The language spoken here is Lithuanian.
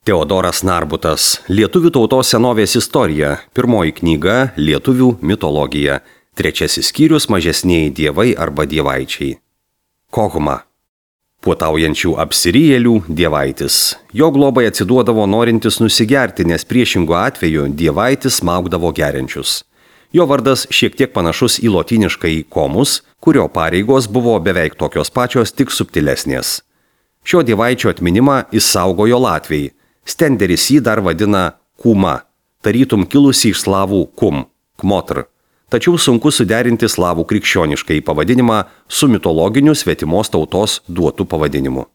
Teodoras Narbutas. Lietuvių tautos senovės istorija. Pirmoji knyga – Lietuvių mitologija. Trečiasis skyrius – Mažesnieji dievai arba dievaičiai. Kohma. Puotaujančių apsirijėlių dievaitis. Jo globai atsiduodavo norintis nusigerti, nes priešingu atveju dievaitis smaugdavo geriančius. Jo vardas šiek tiek panašus į lotyniškąjį komus, kurio pareigos buvo beveik tokios pačios, tik subtilesnės. Šio dievaičio atminimą išsaugojo latviai. Stenderis jį dar vadina kuma, tarytum kilusi iš slavų kum, kmotr. Tačiau sunku suderinti slavų krikščioniškai pavadinimą su mitologiniu svetimos tautos duotu pavadinimu.